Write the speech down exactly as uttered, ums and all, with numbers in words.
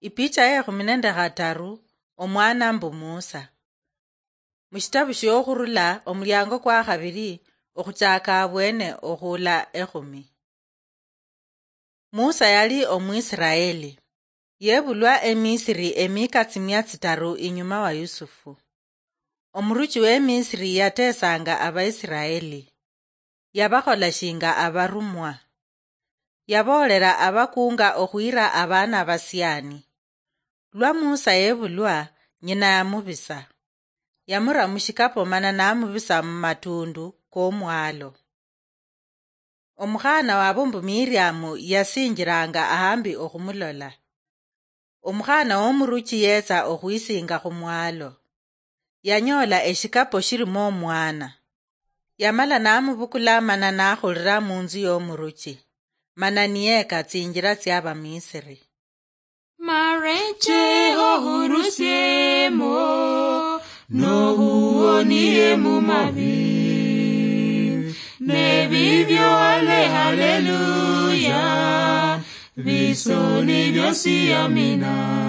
Ipicha ye khumi nende khataru. Omwana mbu Musa. Mushitabu shiokhurula, omuliango kwa khabiri, okhuchaka abwene okhula ekhumi. Musa yali Omwisiraeli. Yebulwa eMisiri emika tsimia tsitaru inyuma wa Yusufu. Omuruchi w'eMisiri yatesanga Abaisiraeli. Yabakhola shinga abarumwa. Yaboolera abakunga okhwira abaana basiani. Lwa Musa yebulwa, nyina yamubisa. Yamura mushikapo mana namubisa mumatundu komwalo. Omukhana wabo mbu Miriamu yasinjiranga ahambi okhumulola. Omukhana womuruchi yetsa okhwisinga khumwalo. Yanyola eshikapo shilimo omwana. Yamala namubukula mana nakhulira munzu yomuruchi, mana niyeka tsinjira tsiabamisiri. Marecheho hurusiemo, nohuonie mumavi. Nebibyo ale haleluya, bisoni byosi amina.